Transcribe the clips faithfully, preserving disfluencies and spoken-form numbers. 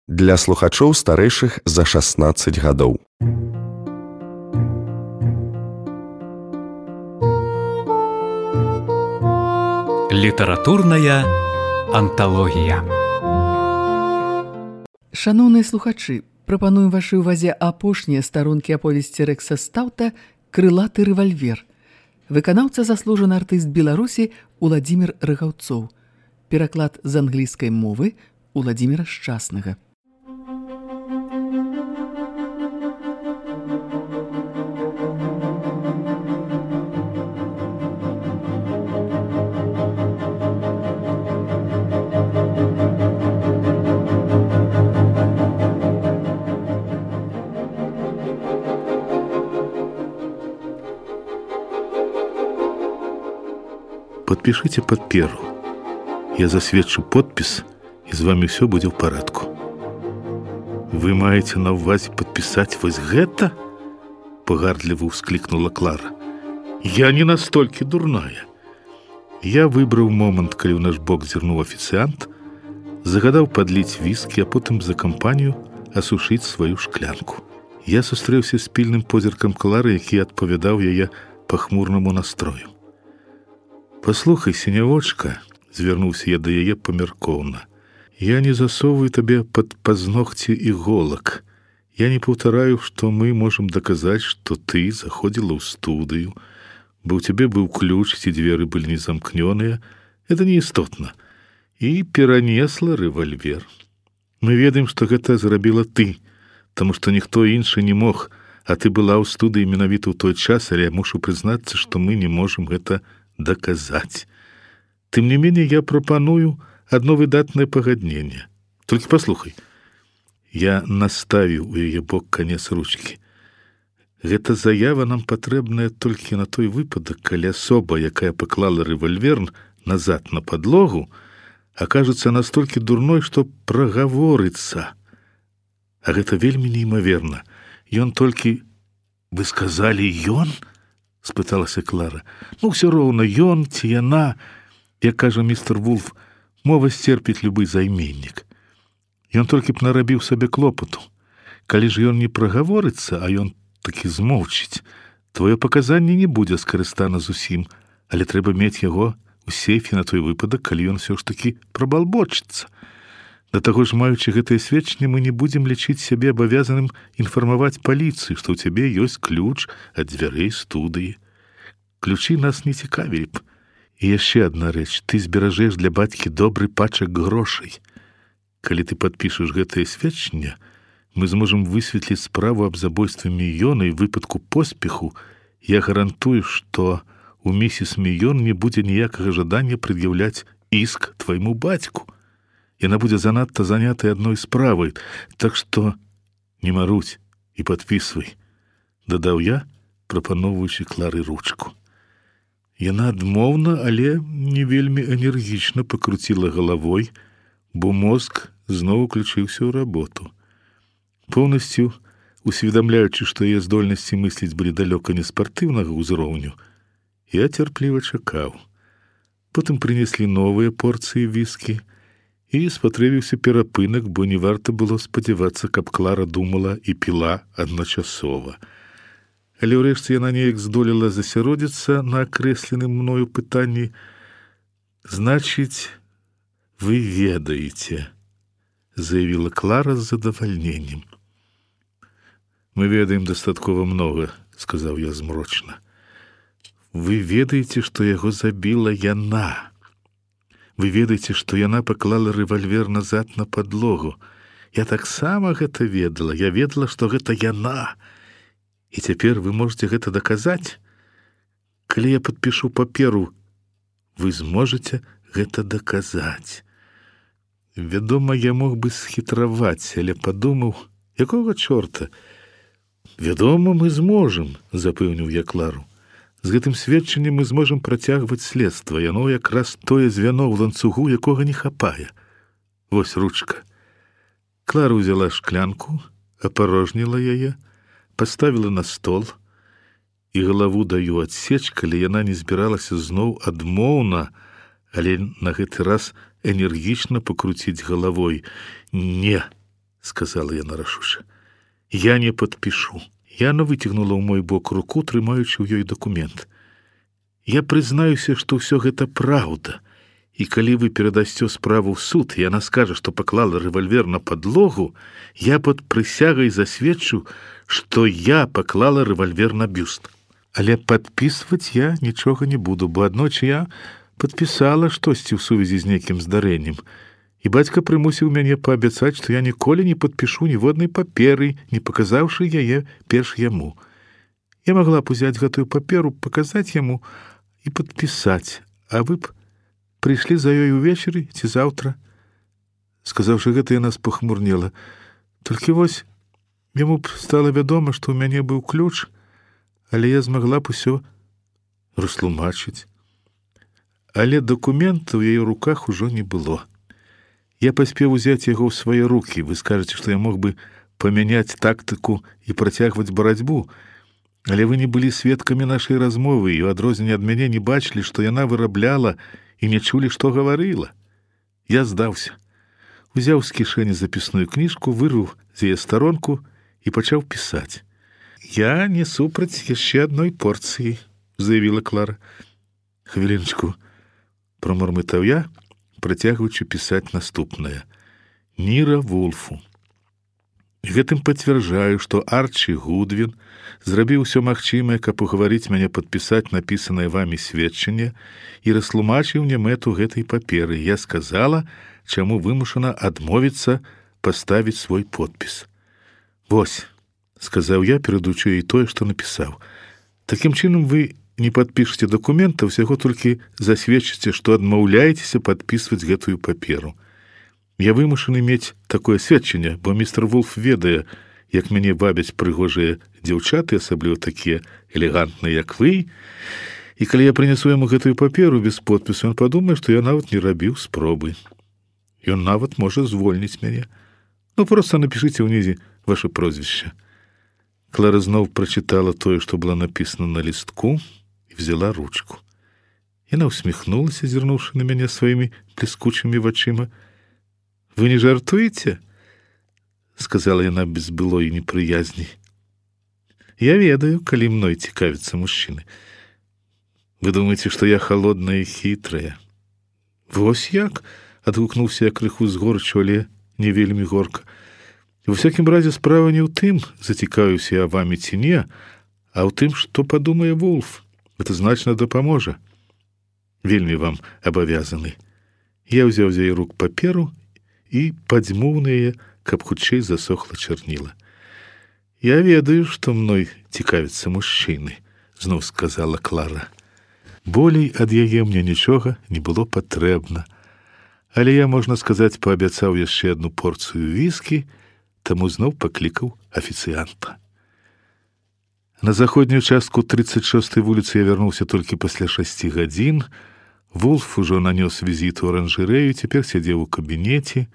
Для слухачоў старэйшых за шаснаццаць гадоў. Літаратурная анталогія. Шаноўныя слухачы, прапануем вашай увазе апошнія старонкі аповесці Рэкса Стаўта «Крылаты рэвальвер». Выканаўца заслужаны артыст Беларусі Уладзімір Рыгаўцоў. Пераклад з англійскай мовы Уладзіміра Шчаснага. Подпишите паперу. Я засведчу подпіс, і з вами ўсё будзе ў парадку. Вы маеце на ўвазе падпісаць вось гэта? Пагардліва ўсклікнула Клара. Я не настолькі дурная. Я выбраў момант, калі ў наш бок зірнуў афіцыянт, загадаў падліць віскі, а потым за кампанію асушыць сваю шклянку. Я сустрэўся з пільным позіркам Клары, які адпавядаў яе пахмурнаму настрою. «Послухай, сінявочка», — звярнуўся я да яе памяркоўна, «я не засовываю табе пад пазногці іголак. Я не паўтараю, што мы можам даказаць, што ты заходзіла ў студыю, бо ў цябе быў ключ, ці дзверы былі не замкнёныя. Это неістотна. І перанесла рэвальвер. Мы ведаем, што гэта зрабіла ты, таму што ніхто іншы не мог, а ты была ў студыі менавіта ў той час, але я мушу прызнацца, што мы не можам гэта доказать. Тым не менее, я прапаную одно выдатнае пагадненне. Толькі паслухай. Я наставіў у яе бок канец ручкі. Гэта заява нам патрэбная толькі на той выпадак, калі асоба, якая паклала рэвальвер назад на падлогу, акажацца настолькі дурной, што прагаворыцца. А гэта вельмі неймаверна. Ён толькі... Вы сказалі, ён? Спыталася Клара. Ну, ўсё роўна, ён ці яна, як кажа містер Вулф, мова сцерпіць любы займеннік. Ён толькі б нарабіў сабе клопату. Калі ж ён не прагаворыцца, а ён такі змоўчыць, твоё паказанне не будзе скарыстана зусім, але трэба мець яго у сейфе на той выпадак, калі ён усё ж такі прабалбочыцца. Да таго ж, маючы гэтае сведчанне, мы не будзем лічыць сябе абавязаным інфармаваць паліцыю, што ў цябе ёсць ключ ад дзвярэй студыі. Ключы нас не цікавілі б. І яшчэ адна рэч, ты зберажэш для бацькі добры пачак грошай. Калі ты падпішаш гэтае сведчанне, мы зможам высветліць справу аб забойстве Міёна і выпадку поспеху. Я гарантую, што у місіс Міён не будзе ніякага жадання прад'яўляць іск твайму бацьку. Яна будзе занадта занятая адной справай, так што не маруць і падпісвай, дадаў я, прапаноўваючы Клары ручку. Яна адмоўна, але не вельмі энергічна пакруціла галавой, бо мозг зноў уключыўся ў работу. Поўнасцю усведамляючы, што яе здольнасці мысліць былі далёка не спартыўнага ўзроўню, я цярпліва чакаў. Потым прынеслі новыя порцыі віскі, і спатрэбіўся перапынак, бо не варта было спадзявацца, каб Клара думала і піла адначасова. Але ўрэшце яна неяк здолела засяродзіцца на акрэсленым мною пытанні. «Значыць, вы ведаеце», — заявіла Клара з задавальненнем. «Мы ведаем дастаткова многа», — сказаў я змрочна. «Вы ведаеце, што яго забіла яна. Вы ведаеце, што яна паклала рэвальвер назад на падлогу. Я таксама гэта ведала. Я ведала, што гэта яна. І цяпер вы можете гэта даказаць? Калі я падпішу паперу, вы зможаце гэта даказаць». Вядома, я мог бы схітраваць, але падумаў, якога чорта? «Вядома, мы зможам», — запэўніў я Клару. «З гэтым сведчаннем мы зможам працягваць следства. Яно якраз тое звяно ў ланцугу, якога не хапае. Вось ручка». Клара ўзяла шклянку, апарожніла яе, паставіла на стол, і галаву даю адсеч, калі яна не збіралася зноў адмоўна, але на гэты раз энергічна пакруціць галавой. «Не», сказала яна рашуча. Я не падпішу. Яна выцягнула ў мой бок руку, трымаючы ў ёй дакумент. Я прызнаюся, што ўсё гэта праўда. І калі вы перадасцё справу ў суд, яна скажа, што паклала рэвальвер на падлогу, я пад прысягай засведчу, што я паклала рэвальвер на бюст. Але падпісваць я нічога не буду, бо аднойчы я падпісала штосьці ў сувязі з нейкім здарэннем. І бацька прымусіў мяне паабяцаць, што я ніколі не падпішу ніводнай паперы, не паказаўшы яе перш яму. Я магла б узяць гэтую паперу, паказаць яму і падпісаць, а вы б прыйшлі за ёй увечары ці заўтра. Сказаўшы гэта, яна спахмурнела. Толькі вось яму б стала вядома, што ў мяне быў ключ, але я змагла б усё растлумачыць. Але дакумента ў яе руках ужо не было. Я паспеў узяць яго ў свае рукі. Вы скажаце, што я мог бы памяняць тактыку і працягваць барацьбу, але вы не былі сведкамі нашай размовы і ў адрозненне ад мяне не бачылі, што яна вырабляла і не чулі, што гаварыла. Я здаўся. Узяў з кішэні запісную кніжку, вырваў з яе старонку і пачаў пісаць. Я не супраць яшчэ адной порцыі, заявіла Клара. Хвілінчку, прамармытаў я, працягваючы пісаць наступнае. Ніра Вулфу. Гэтым пацвярджаю, што Арчі Гудвін зрабіў усё магчымае, каб угаварыць мяне падпісаць напісанае вамі сведчанне і растлумачыў мне мэту гэтай паперы. Я сказала, чаму вымушана адмовіцца паставіць свой подпіс. Вось, сказаў я, перадаючы ёй тое, што напісаў. Такім чынам вы не падпішыце дакумента, усяго толькі засведчыце, што адмаўляецеся падпісваць гэтую паперу. Я вымушаны мець такое сведчанне, бо містер Вулф ведае, як мяне вабяць прыгожыя дзяўчаты, асабліва такія элегантныя, як вы. І калі я прынясу яму гэтую паперу без подпісу, ён падумае, што я нават не рабіў спробы. Ён нават можа звольніць мяне. Ну, проста напішыце ўнізе ваше прозвішча. Клара зноў прачытала тое, што было напісана на лістку, і взяла ручку. Яна усміхнулася, зірнуўшы на мяне сваімі бліскучымі вачыма. Вы не жартуеце? Сказала яна без былой непрыязні. Я ведаю, калі мной цікавяцца мужчыны. Вы думаеце, што я холодная і хітрая? Вось як? Адгукнуўся я крыху з горчу, але не вельмі горка. Во всякім разе справа не ў тым, зацікавіўся я вамі ці не, а ў тым, што падумае Вулф. Гэта значна дапаможа. Вельмі вам абавязаны. Я ўзяў з яе рук паперу і падзьмуў на яе, каб хутчэй засохла чарніла. Я ведаю, што мной цікавяцца мужчыны, зноў сказала Клара. Болей ад яе мне нічога не было патрэбна. Але я, можна сказаць, паабяцаў яшчэ адну порцыю віскі, таму зноў паклікаў афіцыянта. На заходнюю частку тридцать шостой вуліцы я вярнуўся толькі пасля шасці гадзін. Вулф ужо нанёс візіт у аранжарэю, цяпер сядзеў у кабінеце.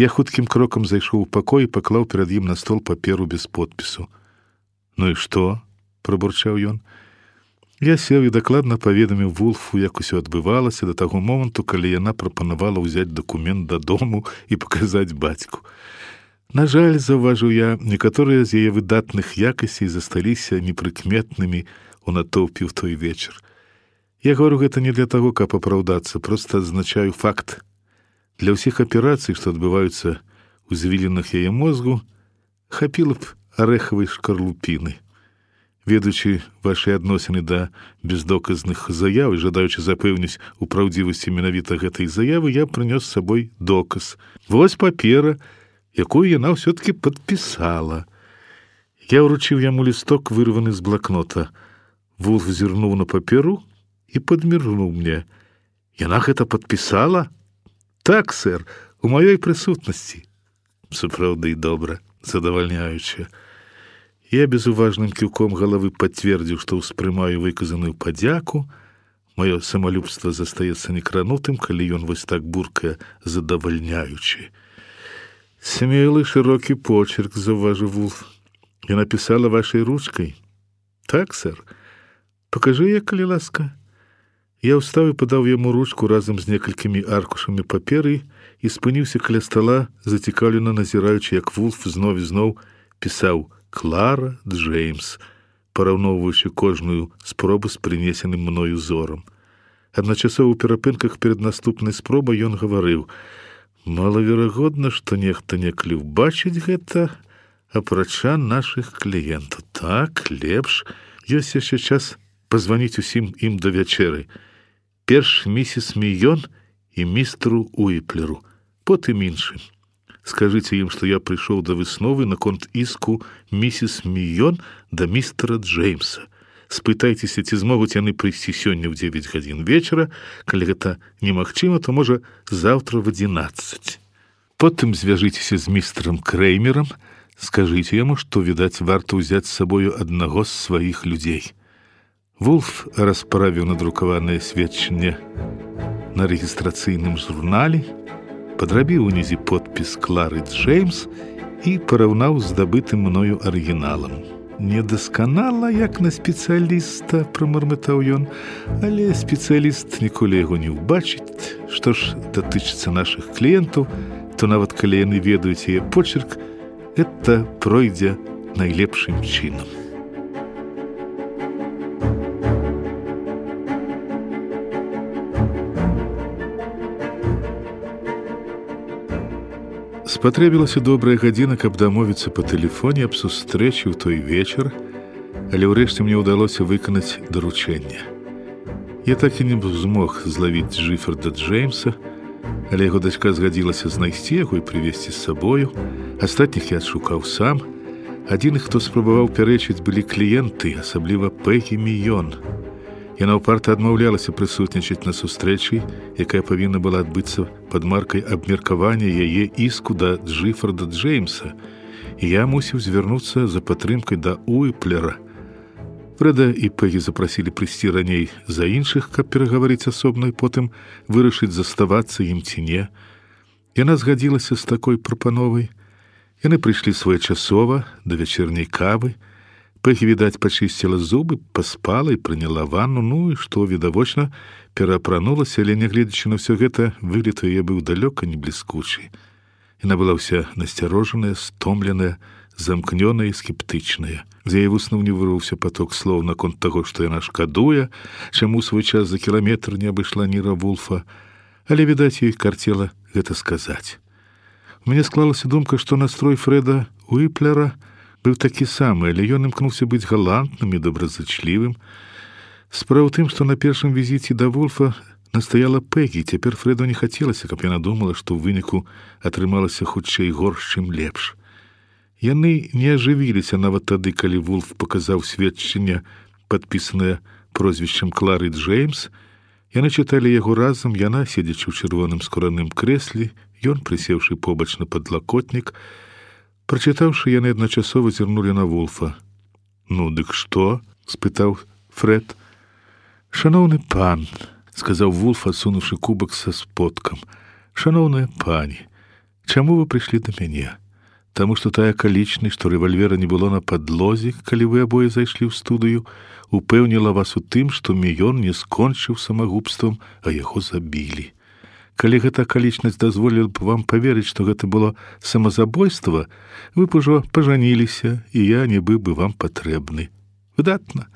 Я хуткім крокам зайшоў у пакой і паклаў перад ім на стол паперу без подпісу. Ну і што? Прабурчаў ён. Я сеў і дакладна паведаміў Вулфу, як усё адбывалася да таго моманту, калі яна прапанавала ўзяць дакумент дадому і паказаць бацьку. На жаль, заўважыў я, некаторыя з яе выдатных якасцей засталіся непрыкметнымі у натоўпе ў той вечар. Я говорю гэта не для таго, каб апраўдацца, проста адзначаю факт. Для ўсіх аперацый, што адбываюцца ў звілінах яе мозгу, хапіла б арэхавай шкарлупіны. Ведаючы вашы адносіны да бездоказных заяў і жадаючы запэўніць у праўдзівасці менавіта гэтай заявы, я прынёс з сабой доказ. Вось папера, якую яна ўсё-такі падпісала. Я ўручыў яму лісток, вырваны з блакнота. Вулф зірнуў на паперу і падміргнуў мне. Яна гэта падпісала? Так, сэр, у маёй прысутнасці. Сапраўды добра, задавальняюча. Я безуважным кіўком галавы пацвердзіў, што ўспрымаю выказаную падзяку. Маё самалюбства застаецца некранутым, калі ён вось так буркае задавальняючы. Смелы шырокі почерк, заўважыў Вулф. Я напісала вашай ручкай. Так, сэр. Пакажы я, калі ласка. Я ўстаў і падаў яму ручку разам з некалькімі аркушамі паперы і спыніўся каля стала, зацікаўлена назіраючы, як Вулф зноў і зноў пісаў «Клара Джеймс», параўноўваючы кожную спробу з прынесеным мною зорам. Адначасова ў перапынках перад наступнай спробай ён гаварыў: «Малаверагодна, што нехта некалі ўбачыць гэта, апрача нашых кліентаў. Так, лепш, ёсць яшчэ час пазваніць усім ім да вячэры. Перш місіс Міён і містеру Уіплеру, потым іншым. Скажыце ім, што я прыйшоў да высновы наконт іску місіс Міён да містера Джеймса. Спытайцеся, ці змогуць яны прыйсці сёння ў дзевяць гадзін вечара, калі гэта немагчыма, то можа заўтра в адзінаццаць. Потым звяжыцеся з містерам Крэймерам, скажыце яму, што, відаць, варта ўзяць з сабою аднаго з сваіх людзей». Вулф расправіў надрукаванае сведчанне на рэгістрацыйным журнале, падрабіў унізе подпіс «Клары Джеймс» і параўнаў з здабытым мною арыгіналам. «Недасканала, як на спецыяліста», – прамармытаў ён, «але спецыяліст ніколі яго не ўбачыць. Што ж датычыцца нашых кліентаў, то нават калі яны ведаюць яе почерк, гэта пройдзе найлепшым чынам». Спатрэбілася добрая гадзіна, каб дамовіцца па тэлефоне аб сустрэчы ў той вечар, але ўрэшце мне ўдалося выканаць даручэнне. Я так і не змог злавіць Джиффорда Джеймса, але яго дачка згадзілася знайсці яго і прывезці з сабою. Астатніх я адшукаў сам. Адзіных, хто спрабаваў пярэчыць, былі кліенты, асабліва Пегі Міён. Яна ўпарта адмаўлялася прысутнічаць на сустрэчы, якая павінна была адбыцца пад маркай абмеркавання яе іску да Джиффорда Джеймса, і я мусіў звярнуцца за падтрымкай да Уіплера. Фрэда і Пегі запрасілі прыйсці раней за іншых, каб перагаварыць асобна і потым вырашыць, заставацца ім ці не. Яна згадзілася з такой прапановай. Яны прыйшлі своечасова да вячэрняй кавы. Пегі, відаць, пачысціла зубы, паспала і прыняла ванну, ну і што, відавочна, пераапранулася, але, нягледзячы на ўсё гэта, выгляд яе быў далёка не бліскучы. Яна была ўся насцярожаная, стомленая, замкнёная і скептычная. З яе вуснуў не вырваўся поток слоў наконт таго, што яна шкадуе, чаму свой час за кіламетр не абышла Ніра Вулфа, але, відаць, ёй карцела гэта сказаць. У мяне склалася думка, што настрой Фрэда Уіплера быў такі самы, але ён імкнуўся быць галантным і добразычлівым. Справа ў тым, што на першым візіце да Вулфа настаяла Пегі, цяпер Фрэду не хацелася, каб яна думала, што ў выніку атрымалася хутчэй горш, чым лепш. Яны не ажывіліся нават тады, калі Вулф паказаў сведчанне, падпісанае прозвішчам Клары Джеймс. Яны чыталі яго разам, яна, седзячы ў чырвоным скураным крэсле, ён, прысеўшы побач на падлакотнік. Прачытаўшы, яны адначасова зірнулі на Вулфа. «Ну, дык што?» – спытаў Фрэд. «Шаноўны пан», – сказаў Вулф, адсунуўшы кубак са сподкам. «Шаноўная пані, чаму вы прыйшлі да мяне? Таму што тая акалічнасць, што рэвальвера не было на падлозе, калі вы абое зайшлі ў студыю, упэўніла вас у тым, што Міён не скончыў самагубствам, а яго забілі. Калі гэта акалічнасць дазволіла б вам паверыць, што гэта было самазабойства, вы б ужо пажаніліся, і я не быў бы вам патрэбны. Выдатна.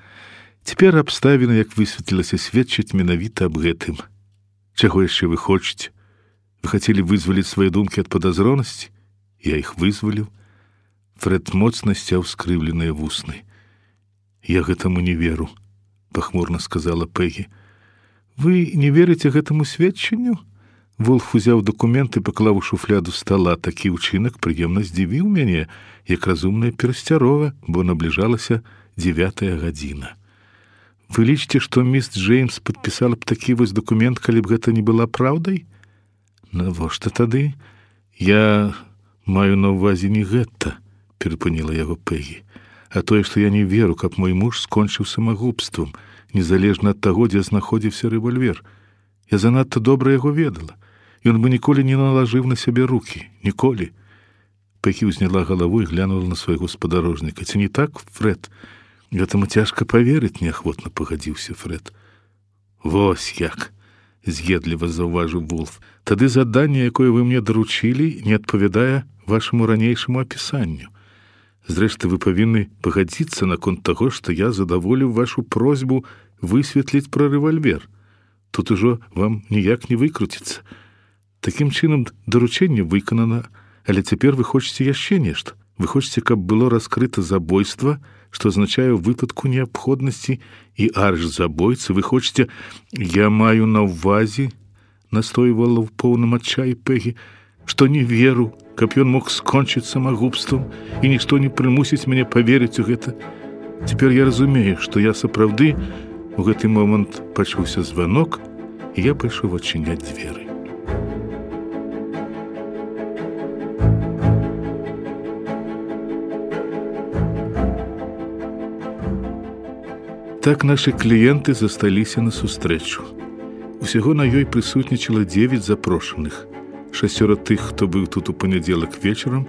Цяпер абставіны, як высветлілася, сведчаць менавіта аб гэтым. Чаго яшчэ вы хочаце? Вы хацелі вызваліць свае думкі ад падазронасці? Я іх вызваліў». Фрэд моцна сцяў скрыўленыя вусны. «Я гэтаму не веру», – пахмурна сказала Пегі. «Вы не верыце гэтаму сведчанню?» Вулф узяў дакумент і паклаў у шуфляду стала. Такі ўчынак прыемна здзівіў мяне, як разумная перасцярога, бо набліжалася дзевятая гадзіна. «Вы лічыце, што міс Джеймс падпісала б такі вось дакумент, калі б гэта не была праўдай?» «Навошта тады?» «Я маю на ўвазе не гэта», – перапыніла яго Пегі, «а тое, што я не веру, каб мой муж скончыў самагубствам, незалежна ад таго, дзе знаходзіўся рэвальвер. Я занадта добра яго ведала. Ён бы ніколі не налажыў на сябе рукі. Ніколі». Пегі ўзняла галаву і глянула на свайго спадарожніка. «Ці не так, Фрэд?» «Гэтаму цяжка паверыць», – неахвотна пагадзіўся Фрэд. «Вось як. з'едліва заўважыў Вулф. Тады заданне, якое вы мне даручылі, не адпавядае вашаму ранейшаму апісанню. Зрэшты, вы павінны пагадзіцца наконт таго, што я задаволіў вашу просьбу высветліць пра рэвальвер. Тут ужо вам ніяк не выкруціцца. Такім чынам даручэнне выканана, але цяпер вы хочаце яшчэ нешта. Вы хочаце, каб было раскрыта забойства, што азначае ў выпадку неабходнасці і арш забойцы. Вы хочаце, я маю на ўвазе, настойвала ў поўным адчаі Пегі, што не веру, каб ён мог скончыць самагубствам, і нішто не прымусіць мяне паверыць у гэта. Цяпер я разумею, што я сапраўды у гэты момант пачуўся званок, і я пайшоў адчыняць дзверы. Так нашы кліенты засталіся на сустрэчу. Усяго на ёй прысутнічала дзевяць запрошаных. Шасцёра тых, хто быў тут у панядзелак вечарам,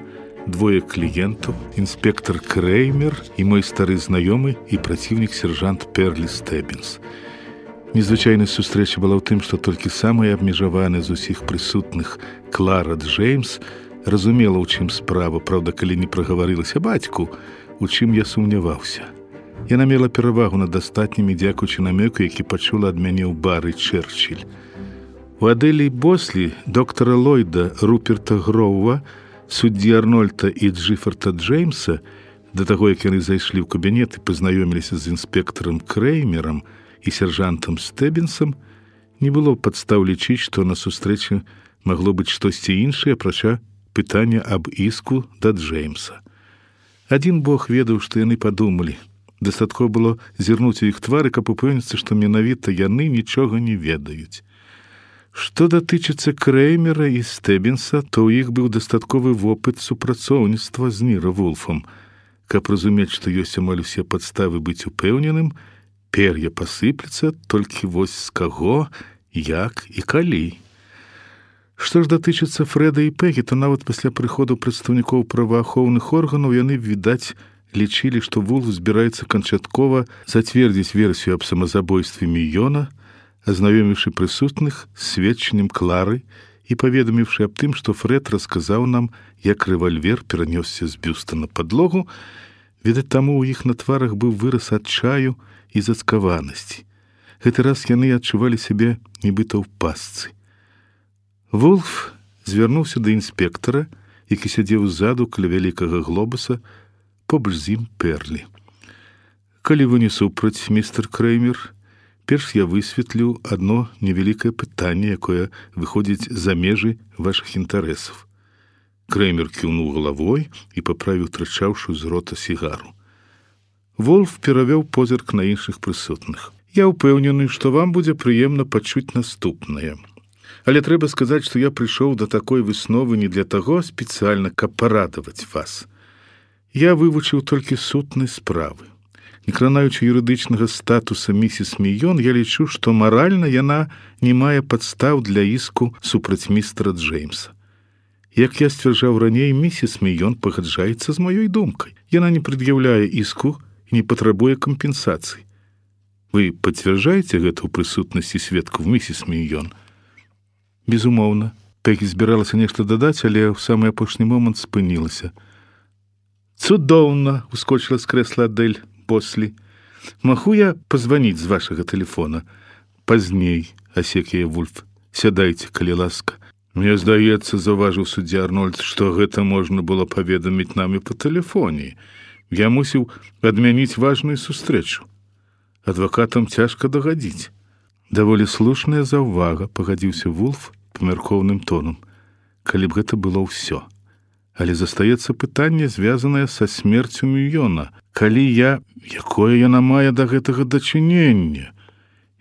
двое кліентаў, інспектор Креймер і мой стары знаёмы і праціўнік сержант Перлі Стэббінс. Незвычайнасць сустрэчы была ў тым, што толькі самая абмежаваная з усіх прысутных Клара Джеймс разумела, у чым справа, праўда, калі не прагаварылася бацьку, у чым я сумняваўся. Яна мела перавагу над астатнімі, дзякуючы намёку, які пачула ад мяне ў бары Чэрчилль. У Адэлі Бослі, доктара Ллойда, Руперта Гроува, суддзі Арнольда і Джиффорда Джеймса, да таго, як яны зайшлі ў кабінет і пазнаёміліся з інспектарам Креймерам і сержантам Стэббінсам, не было падстаў лічыць, што на сустрэчы магло быць штосьці іншае, апрача пытання аб іску да Джеймса. Адзін Бог ведаў, што яны падумалі. Дастаткова было зірнуць у іх твары, каб упэўніцца, што менавіта яны нічога не ведаюць. Што датычыцца Креймера і Стэббінса, то ў іх быў дастатковы вопыт супрацоўніцтва з Ніра Вулфам. Каб разумець, што ёсць амаль усе падставы быць упэўненым, пер'я пасыпляцца, толькі вось з каго, як і калі. Што ж датычыцца Фрэда і Пегі, то нават пасля прыходу прадстаўнікоў праваахоўных органаў яны, відаць, лічылі, што Вулф збіраецца канчаткова зацвердзіць версію аб самазабойстве Міёна, азнаёміўшы прысутных з сведчаннем Клары і паведаміўшы аб тым, што Фрэд расказаў нам, як рэвальвер перанёсся з бюста на падлогу. Відаць, таму ў іх на тварах быў выраз адчаю і зацкаванасці. Гэты раз яны адчувалі сябе нібыта ў пастцы. Вулф звярнуўся да інспектара, які сядзеў ззаду каля вялікага глобуса, побач з ім Перлі. Калі вы не супраць, містер Креймер, перш я высветлю адно невялікае пытанне, якое выходзіць за межы вашых інтарэсаў. Креймер кіўнуў галавой і паправіў трачаўшую з рота сігару. Вулф перавёў позірк на іншых прысутных. Я ўпэўнены, што вам будзе прыемна пачуць наступнае. Але трэба сказаць, што я прыйшоў да такой высновы не для таго спецыяльна, каб парадаваць вас. Я вывучыў толькі сутнай справы. Не кранаючы юрыдычнага статуса місіс Міён, я лічу, што маральна яна не мае падстаў для іску супраць містера Джеймса. Як я сцвярджаў раней, місіс Міён пагаджаецца з маёй думкай. Яна не прад'яўляе іску і не патрабуе кампенсацыі. Вы пацвярджаеце гэта ў прысутнасці сведкаў, місіс Міён? Безумоўна. Пегі збіралася нешта дадаць, але ў самы апошні момант спынілася. «Цудоўна!» — ускочила з крэсла Адэль Бослі. «Магу я пазваніць з вашага тэлефона?» «Пазней», — асек яе Вулф. «Сядайце, калі ласка». «Мне здаецца, — заўважыў суддзя Арнольд, — што гэта можна было паведаміць нам і па тэлефоне. Я мусіў адмяніць важную сустрэчу. Адвакатам цяжка дагадзіць». «Даволі слушная заўвага», — пагадзіўся Вулф памяркоўным тоном. «Калі б гэта было ўсё. Але застаецца пытанне, звязанае са смерцю Міёна. Калі я... Якое яна мае да гэтага дачынення?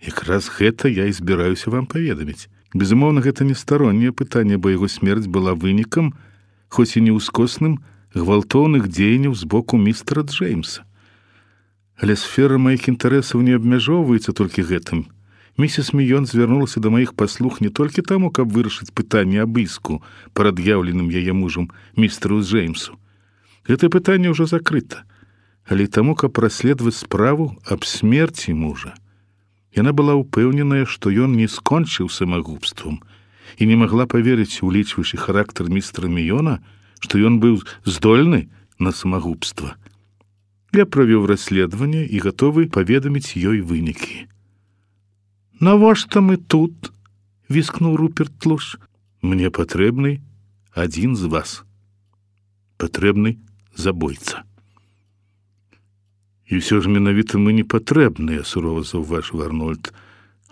Якраз гэта я і збіраюся вам паведаміць. Безумоўна, гэта не старонняе пытанне, бо яго смерць была вынікам, хоць і не ўскосным, гвалтоўных дзеянняў з боку містера Джеймса. Але сфера маіх інтарэсаў не абмяжоўваецца толькі гэтым. Місіс Міён звярнулася да маіх паслуг не толькі таму, каб вырашыць пытанне аб іску, прад'яўленым яе мужам містеру Джеймсу. Гэта пытанне ўжо закрыта, але і таму, каб расследаваць справу аб смерці мужа. Яна была ўпэўненая, што ён не скончыў самагубствам і не магла паверыць, улічваючы характар містера Міёна, што ён быў здольны на самагубства. Я правёў расследаванне і гатовы паведаміць ёй вынікі. «Навошта мы тут?» — віскнуў Руперт Тлуш. «Мне патрэбны адзін з вас. Патрэбны забойца». «І ўсё ж менавіта мы не патрэбныя», — сурова заўважыў Арнольд.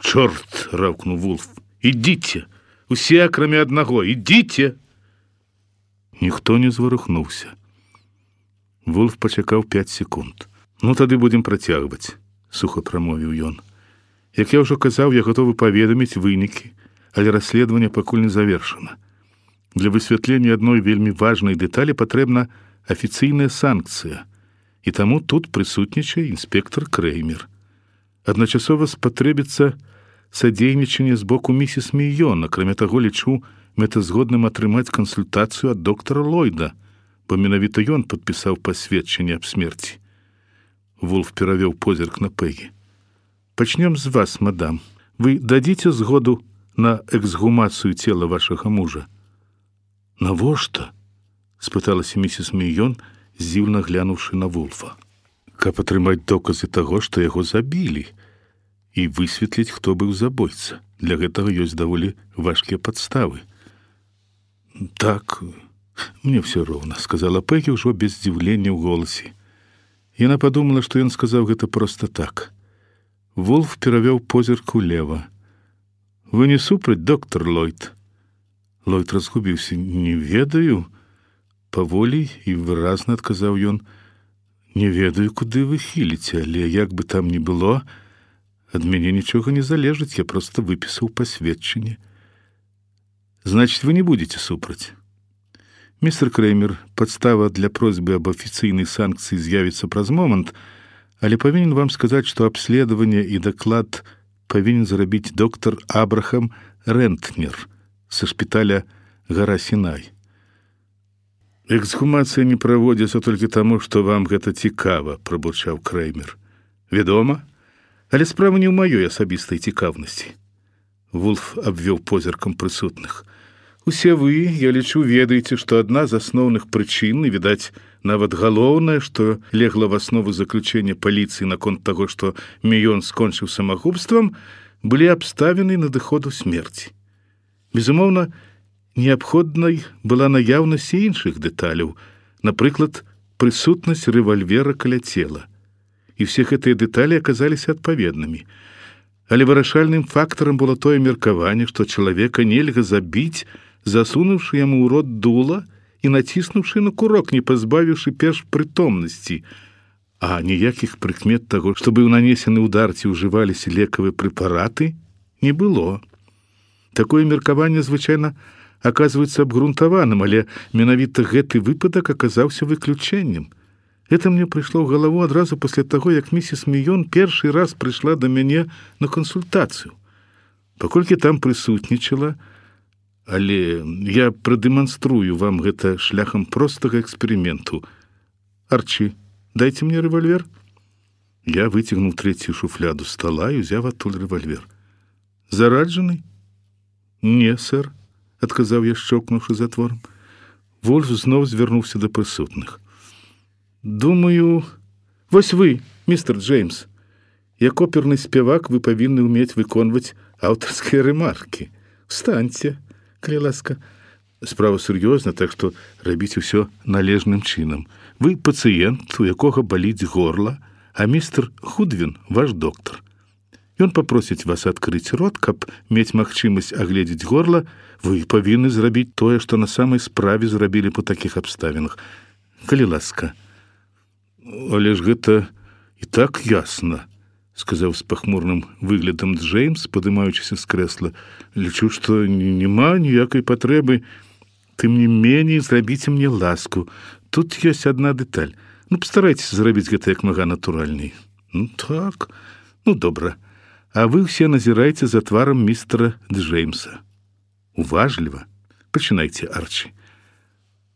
«Чорт!» — раўкнуў Вулф. «Ідзіце! Усе, акрамя аднаго, ідзіце!» Ніхто не зварухнуўся. Вулф пачакаў пяць секунд. «Ну, тады будзем працягваць», — суха прамовіў ён. «Як я ўжо казаў, я гатовы паведаміць вынікі, але расследаванне пакуль не завершана. Для высвятлення адной вельмі важнай дэталі патрэбна афіцыйная санкцыя, і таму тут прысутнічае інспектор Крэймер. Адначасова спатрэбіцца садзейнічанне з боку місіс Міён. Акрамя таго, лічу мэтазгодным атрымаць кансультацыю ад доктара Ллойда, бо менавіта ён падпісаў пасведчанне аб смерці». Вулф перавёў позірк на Пегі. «Пачнём з вас, мадам. Вы дадзіце згоду на эксгумацыю цела вашага мужа?» «Навошта?» — спыталася місіс Міён, здзіўна глянуўшы на Вулфа. «Каб атрымаць доказы таго, што яго забілі, і высветліць, хто быў забойца. Для гэтага ёсць даволі важкія падставы». «Так, мне ўсё роўна», — сказала Пегі ўжо без здзіўлення ў голасе. Яна падумала, што ён сказаў гэта проста так. Вулф перавёў позірк улева. «Вы не супраць, доктар Ллойд?» Ллойд разгубіўся. «Не ведаю», — паволі і выразна адказаў ён. «Не ведаю, куды вы хіліце, але як бы там ні было, ад мяне нічога не залежыць, я проста выпісаў пасведчанне». «Значит, вы не будете супраць?» «Містер Крэймер, падстава для просьбы аб афіцыйнай санкцыі з'явіцца праз момант, але павінен вам сказаць, што абследаванне і даклад павінен зрабіць доктар Абрахам Рэнтнер са шпіталя Гара Сінай». «Эксгумацыя не праводзіцца толькі таму, што вам гэта цікава», — прабурчаў Крэймер. «Вядома, але справа не ў маёй асабістай цікаўнасці». Вулф абвёў позіркам прысутных. «Усе вы, я лічу, ведаеце, што адна з асноўных прычын, і, відаць, нават галоўнае, што легла в аснову заключэння паліцыі наконт таго, што Міён скончыў самагубствам, былі абставіны надыходу смерці. Безумоўна, неабходнай была наяўнасць іншых дэталяў, напрыклад, прысутнасць рэвальвера каля цела. І ўсе гэтыя дэталі аказаліся адпаведнымі. Але вырашальным фактарам было тое меркаванне, што чалавека нельга забіць, засунуўшы яму ў рот дула і націснуўшы на курок, не пазбавіўшы перш прытомнасці. А ніякіх прыкмет таго, што быў нанесены ўдар ці ўжываліся лекавыя прэпараты, не было. Такое меркаванне звычайна аказваецца абгрунтаваным, але менавіта гэты выпадак аказаўся выключэннем. Это мне прыйшло ў галаву адразу пасля таго, як місіс Міён першы раз прыйшла да мяне на кансультацыю. Паколькі там прысутнічала, але я прадэманструю вам гэта шляхам простага эксперыменту. Арчі, дайце мне рэвальвер». Я выцягнуў трэцюю шуфляду стала і ўзяў адтуль рэвальвер. «Зараджаны?» «Не, сэр», — адказаў я, шчокнуўшы затворам. Вольф зноў звярнуўся да прысутных. «Думаю, вось вы, містер Джеймс. Як оперны спявак вы павінны ўмець выконваць аўтарскія рэмаркі. Встаньце, калі ласка. Справа сур'ёзна, так што рабіць усё належным чынам. Вы пацыент, у якога баліць горла, а містер Худвін ваш доктар. Ён папросіць вас адкрыць рот, каб мець магчымасць агледзець горла, вы павінны зрабіць тое, што на самай справе зрабілі па такіх абставінах. Калі ласка». «Але ж гэта і так ясна», — сказаў з пахмурным выглядам Джеймс, падымаючыся з крэсла. «Лічу, што няма ніякай патрэбы. Тым не меней, зрабіце мне ласку. Тут ёсць адна дэталь. Ну, пастарайцеся зрабіць гэта як мага натуральней». «Ну, так. Ну, добра. А вы ўсе назірайце за тварам містера Джеймса. Уважліва. Пачынайце, Арчі».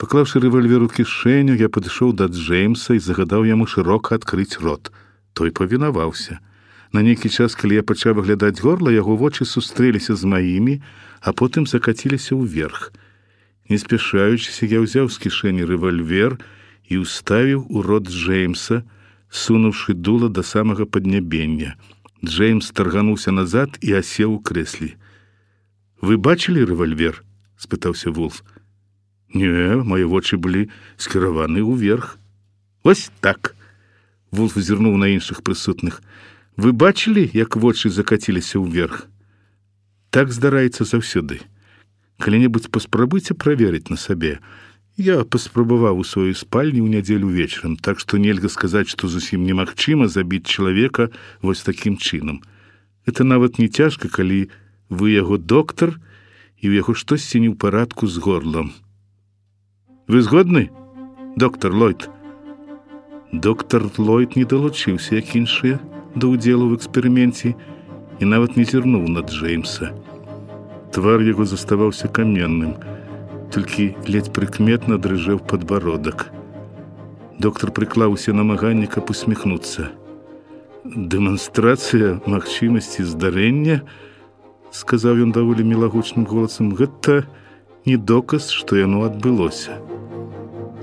Паклаўшы рэвальвер у кішэню, я падышоў да Джеймса і загадаў яму шырока адкрыць рот. Той павінаваўся. На нейкі час, калі я пачаў выглядаць горла, яго вочы сустрэліся з маімі, а потым закаціліся ўверх. Не спяшаючыся, я ўзяў з кішэні рэвальвер і ўставіў у рот Джеймса, сунуўшы дула да самага паднябення. Джеймс таргануўся назад і асеў у крэсле. «Вы бачылі рэвальвер?» – спытаўся Вулф. «Не, мае вочы былі скіраваны ўверх». «Вось так!» – Вулф зірнуў на іншых прысутных. «Вы бачылі, як вочы закаціліся ўверх?» «Так здараецца заўсёды. Калі-небудзь паспрабуйце праверыць на сабе. Я паспрабаваў у сваёй спальні ў нядзелю вечарам, так што нельга сказаць, што зусім немагчыма забіць чалавека вось такім чынам. Это нават не цяжка, калі вы яго доктар, і ў яго штосьці не ў парадку з горлам. Вы згодны, доктар Ллойд?» Доктар Ллойд не далучыўся, як іншыя, да ўдзелу ў эксперыменце і нават не зірнуў на Джеймса. Твар яго заставаўся каменным, толькі ледзь прыкметна дрыжэў падбародак. Доктар прыклаў усе намаганні, каб усміхнуцца. «Дэманстрацыя магчымасці здарэння», — сказаў ён даволі мілагучным голасам, — «гэта не доказ, што яно адбылося».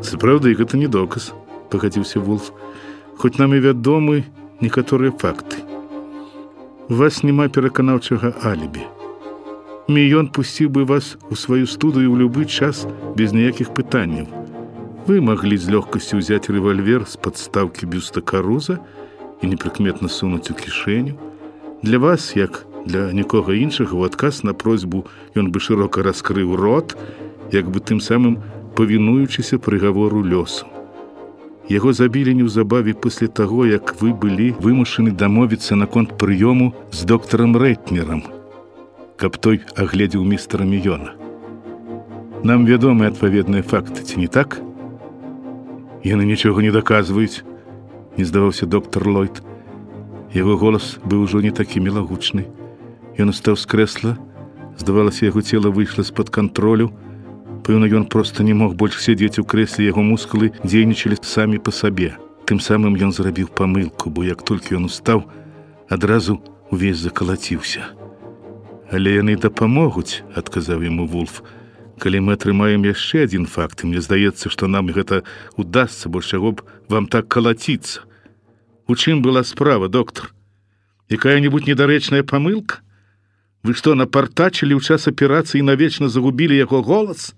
«Сапраўды, гэта не доказ», — пагадзіўся Вулф, — «хоць нам і вядомы некаторыя факты. У вас няма пераканаўчага алібі. Міён пусціў бы вас у сваю студыю ў любы час без ніякіх пытанняў. Вы маглі з лёгкасцю ўзяць рэвальвер з падстаўкі бюста Каруза і непрыкметна сунуць у кішэню. Для вас, як для нікога іншага, у адказ на просьбу ён бы шырока раскрыў рот, як бы тым самым павінуючыся прыгавору лёсу. Яго забілі неўзабаве пасля таго, як вы былі вымушаны дамовіцца наконт прыёму з доктарам Рэтнерам, каб той агледзеў містера Міёна. Нам вядомы адпаведныя факты, ці не так? Яны нічога не даказваюць, не здаваўся доктар Ллойд. Яго голас быў ужо не такі мілагучны. Ён устаў з крэсла, здавалася, яго цела выйшла з-пад кантролю. Пэўна, ён проста не мог больш сядзець у крэсле, яго мускулы дзейнічалі самі па сабе. Тым самым ён зрабіў памылку, бо як толькі ён устаў, адразу увесь закалаціўся. «Але яны дапамогуць», — адказаў яму Вулф. «Калі мы атрымаем яшчэ адзін факт, мне здаецца, што нам гэта удасца, бо чаго б вам так калаціцца. У чым была справа, доктар? Якая-нибудь недарэчная памылка? Вы што, напартачылі ў час аперацыі і навечна загубілі яго голас?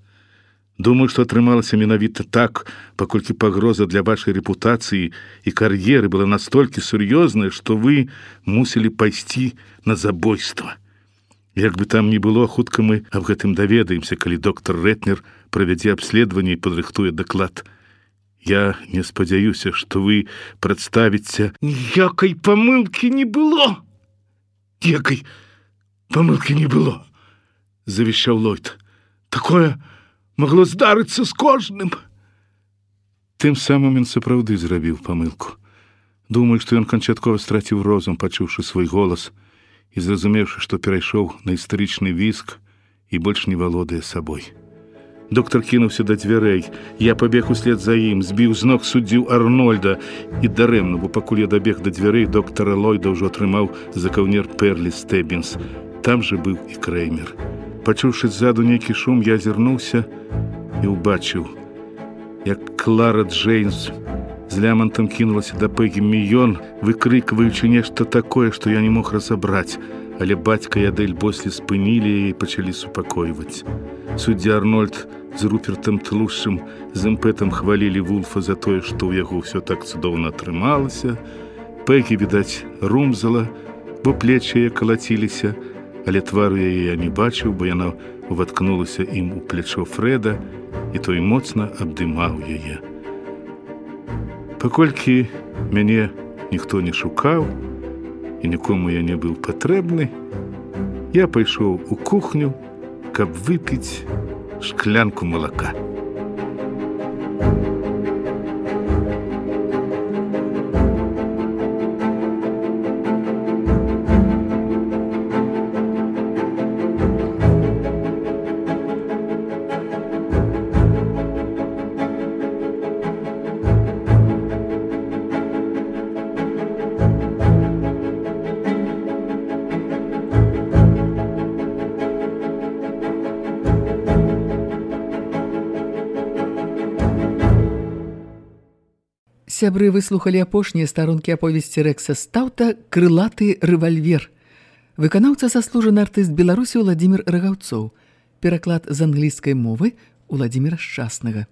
Думаю, што атрымалася менавіта так, паколькі пагроза для вашай рэпутацыі і кар'еры была настолькі сур'ёзная, што вы мусілі пайсці на забойства. Як бы там ні было, хутка мы аб гэтым даведаемся, калі доктар Рэтнер правядзе абследаванне і падрыхтуе даклад. Я не спадзяюся, што вы прадставіце... Ніякай памылкі не было! Ніякай памылкі не было, завішчаў Ллойд. Такое магло здарыцца з кожным. Тым самым ён сапраўды зрабіў памылку. Думаю, што ён канчаткова страціў розум, пачуўшы свой голас і зразумеўшы, што перайшоў на істарычны віск і больш не валодае сабой. Доктар кінуўся да дзвярэй. Я пабег услед за ім, збіў з ног суддзю Арнольда. І дарэмна, бо пакуль я дабег да дзвярэй, доктара Ллойда ўжо атрымаў за каўнер Перлі Стэббінс. Там же быў і Крэймер. Пачуўшы ззаду нейкі шум, я азірнуўся і ўбачыў, як Клара Джеймс з лямантам кінулася да Пэгі Міён, выкрыкваючы нешта такое, што я не мог разабраць, але бацька і Адэль Бослі спынілі яе і пачалі супакойваць. Суддзя Арнольд з Рупертам Тлушчым з імпэтам хвалілі Вулфа за тое, што ў яго ўсё так цудоўна атрымалася. Пэгі, відаць, румзала, бо плечы яе калаціліся, але твару яе я не бачыў, бо яна уваткнулася ім у плечо Фрэда, і той моцна абдымаў яе. Паколькі мяне ніхто не шукаў, і нікому я не быў патрэбны, я пайшоў у кухню, каб выпіць шклянку малака. Сябры выслухалі апошнія старонкі аповесці Рэкса Стаўта «Крылаты рэвальвер». Выканаўца заслужаны артыст Беларусі Уладзімір Рагаўцоў. Пераклад з англійскай мовы Уладзіміра Шчаснага.